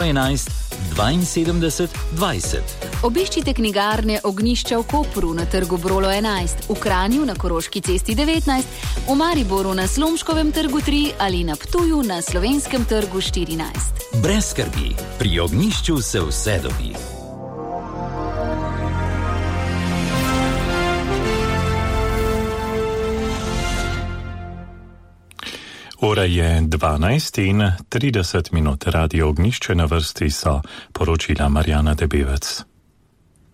11 72 20. Obiščite knjigarne Ognjišča v Kopru na trgu Brolo 11, v Kranju na Koroški cesti 19, v Mariboru na Slomškovem trgu 3 ali na Ptuju na Slovenskem trgu 14. Brez skrbi, pri Ognjišču se vse dobi. Ura je 12:30, Radio Ognjišče, na vrsti so poročila Marjana Debevec.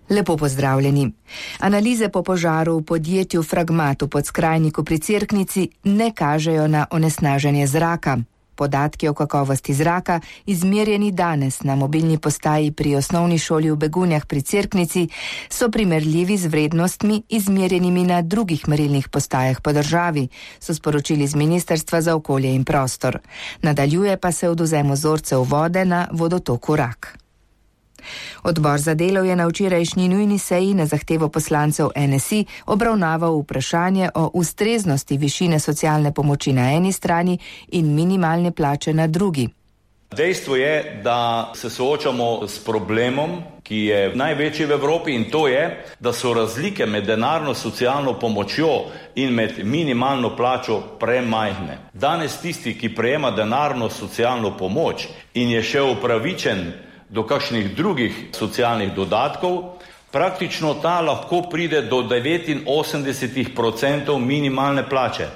Lepo pozdravljeni. Analize po požaru v podjetju Fragmat v Podskrajniku pri Cerknici ne kažejo na onesnaženje zraka. Podatki o kakovosti zraka, izmerjeni danes na mobilni postaji pri osnovni šoli v Begunjah pri Cerknici, so primerljivi z vrednostmi, izmerjenimi na drugih merilnih postajah po državi, so sporočili z Ministrstva za okolje in prostor. Nadaljuje pa se odvzem vzorcev vode na vodotoku Rak. Odbor za delo je na včerajšnji nujni seji na zahtevo poslancev NSI obravnaval vprašanje o ustreznosti višine socialne pomoči na eni strani in minimalne plače na drugi. Dejstvo je, da se soočamo s problemom, ki je največji v Evropi, in to je, da so razlike med denarno socialno pomočjo in med minimalno plačo premajhne. Danes tisti, ki prejema denarno socialno pomoč in je še upravičen do kakšnih drugih socialnih dodatkov, praktično ta lahko pride do 89% minimalne plače.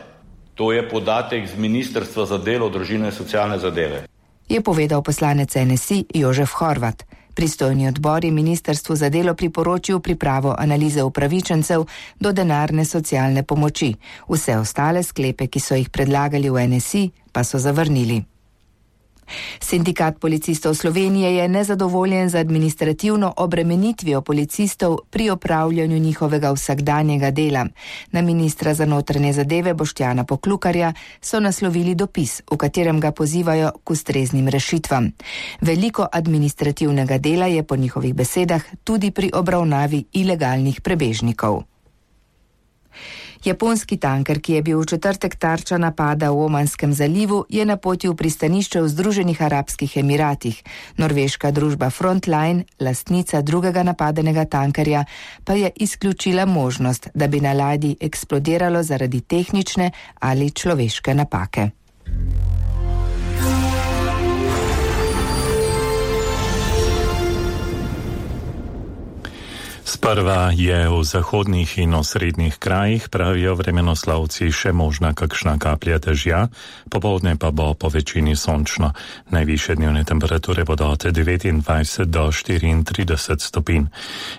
To je podatek z Ministrstva za delo, družino in socialne zadeve. Je povedal poslanec NSI Jožef Horvat. Pristojni odbor je Ministrstvu za delo priporočil pripravo analize upravičencev do denarne socialne pomoči. Vse ostale sklepe, ki so jih predlagali v NSI, pa so zavrnili. Sindikat policistov Slovenije je nezadovoljen z administrativno obremenitvijo policistov pri opravljanju njihovega vsakdanjega dela. Na ministra za notranje zadeve Boštjana Poklukarja so naslovili dopis, v katerem ga pozivajo k ustreznim rešitvam. Veliko administrativnega dela je po njihovih besedah tudi pri obravnavi ilegalnih prebežnikov. Japonski tanker, ki je bil v četrtek tarča napada v Omanskem zalivu, je na poti v pristanišče v Združenih arabskih Emiratih. Norveška družba Frontline, lastnica drugega napadenega tankerja, pa je izključila možnost, da bi na ladji eksplodiralo zaradi tehnične ali človeške napake. Sprva je v zahodnih in osrednjih krajih, pravijo vremenoslovci, še možna kakšna kaplja dežja, popoldne pa bo po večini sončno. Najvišje dnevne temperature bodo od 29 do 34 stopinj.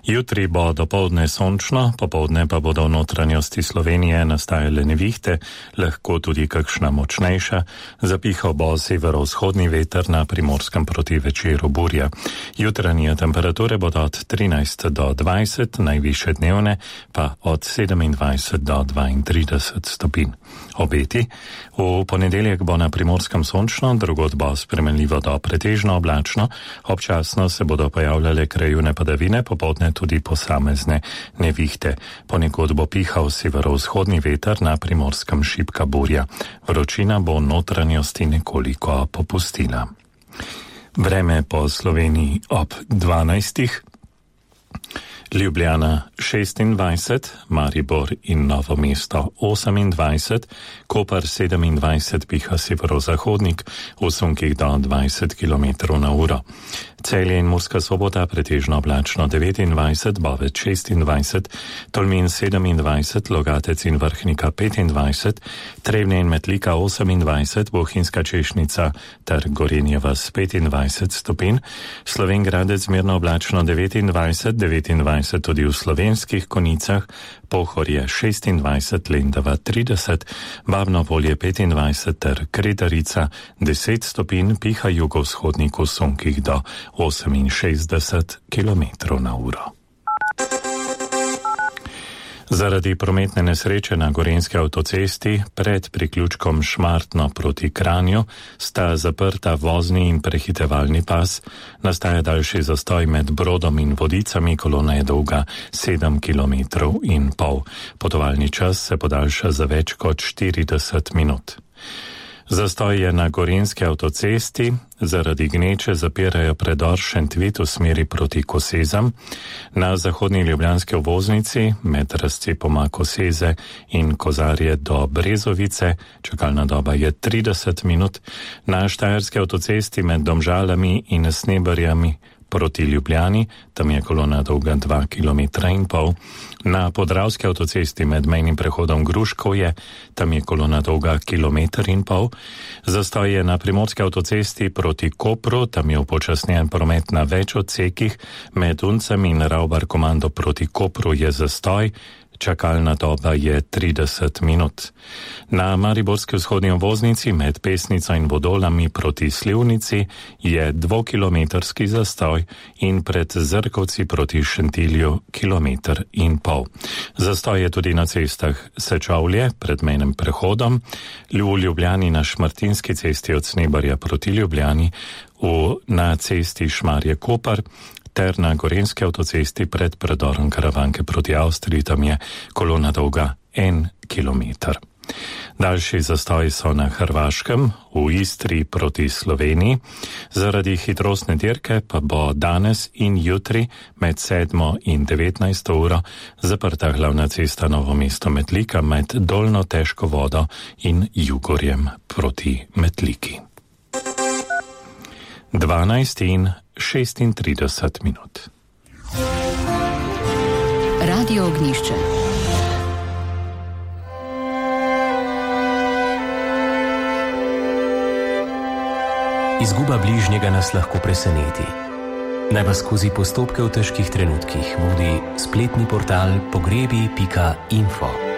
Jutri bo dopoldne sončno, popoldne pa bodo v notranjosti Slovenije nastajale nevihte, lahko tudi kakšna močnejša. Zapihal bo severovzhodni veter, na Primorskem proti večeru burja. Jutranje temperature bodo od 13 do 20, najvišje dnevne pa od 27 do 32 stopinj. Obeti. V ponedeljek bo na Primorskem sončno, drugod bo spremenljivo do pretežno oblačno, občasno se bodo pojavljale krajevne padavine, popoldne tudi posamezne nevihte. Ponekod bo pihal severovzhodni veter, na Primorskem šibka burja. Vročina bo v notranjosti nekoliko popustila. Vreme po Sloveniji ob 12. Ljubljana 26, Maribor in Novo mesto 28, Koper 27, piha severozahodnik, v sunkih do 20 km na uro. Celje in Murska Sobota pretežno oblačno 29, Bovec 26, Tolmin 27, Logatec in Vrhnika 25, Trebnje in Metlika 28, Bohinjska Češnica ter Gorenje vas 25 stopinj, Slovenj Gradec zmerno oblačno 29 tudi v Slovenskih Konicah, Pohorje 26, Lendava 30, Babno Polje 25 ter Kredarica 10 stopinj, piha jugovzhodnik v sunkih do 68 km na uro. Zaradi prometne nesreče na Gorenjski avtocesti pred priključkom Šmartno proti Kranju sta zaprta vozni in prehitevalni pas, nastaja daljši zastoj med Brodom in Vodicami, kolona je dolga 7,5 km. Potovalni čas se podaljša za več kot 40 minut. Zastoj je na Gorenjski avtocesti, zaradi gneče zapirajo predor Šentvid v smeri proti Kosezam, na zahodni ljubljanski obvoznici med razcepoma Koseze in Kozarje do Brezovice, čakalna doba je 30 minut, na Štajerski avtocesti med Domžalami in Sneberjami proti Ljubljani, tam je kolona dolga 2,5 km, na Podravski avtocesti med mejnim prehodom Gruškovje, tam je kolona dolga 1,5 km, zastoj je na Primorski avtocesti proti Kopru, tam je upočasnjen promet na več odsekih, med Uncem in Ravbar komando proti Kopru je zastoj, čakalna doba je 30 minut. Na Mariborski vzhodni obvoznici med Pesnico in Vodolami proti Slivnici je 2-kilometrski zastoj in pred Zrkovci proti Šentilju 1,5 km. Zastoj je tudi na cestah Sečovlje pred mejnim prehodom, v Ljubljani na Šmartinski cesti od Snebarja proti Ljubljani, na cesti Šmarje-Kopar, ter na Gorenjski avtocesti pred predorom Karavanke proti Avstriji, tam je kolona dolga 1 km. Daljši zastoji so na Hrvaškem, v Istri proti Sloveniji, zaradi hitrostne dirke pa bo danes in jutri med 7 in 19 uro zaprta glavna cesta Novo mesto-Metlika med Dolno Težko vodo in Jugorjem proti Metliki. 12 in 36 minut. Radio Ognjišče. Izguba bližnjega nas lahko preseneti. Naj vas skozi postopke v težkih trenutkih vodi spletni portal pogrebi.info.